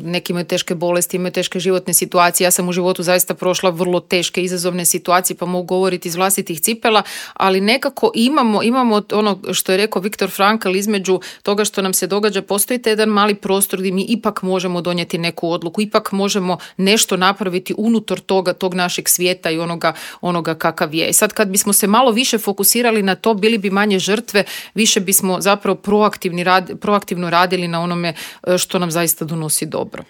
neki imaju teške bolesti, imaju teške životne situacije. Ja sam u životu zaista prošla vrlo teške izazovne situacije, pa mogu govoriti iz vlastitih cipela, ali nekako imamo ono što je rekao Viktor Frankl, između toga što nam se događa, postoji jedan mali prostor gdje mi ipak možemo donijeti neku odluku, ipak možemo nešto napraviti unutar tog našeg svijeta i onoga kakav je. I sad kad bismo se malo više fokusirali na to, bili bi manje žrtve, više bismo zapravo proaktivno radili na onome što nam zaista donosi dobro.